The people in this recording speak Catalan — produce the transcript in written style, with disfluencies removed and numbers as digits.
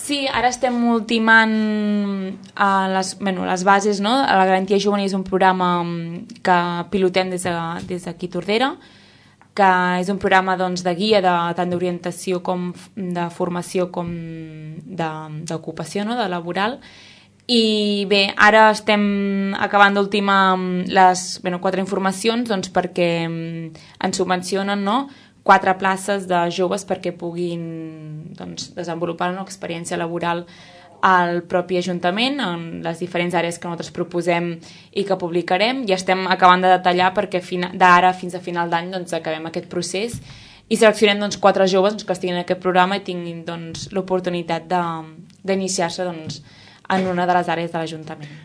Sí, ara estem ultimant les bases, no? La Garantia Juvenil és un programa que pilotem des d'aquí Tordera, que és un programa doncs, de guia tant d'orientació com de formació com d'ocupació, no? De laboral. I bé, ara estem acabant d'ultimar les 4 informacions doncs, perquè ens subvencionen, no? 4 places de joves perquè puguin doncs, desenvolupar una experiència laboral al propi Ajuntament en les diferents àrees que nosaltres proposem i que publicarem, i estem acabant de detallar perquè d'ara fins a final d'any doncs, acabem aquest procés i seleccionem doncs, 4 joves doncs, que estiguin en aquest programa i tinguin doncs, l'oportunitat d'iniciar-se doncs, en una de les àrees de l'Ajuntament.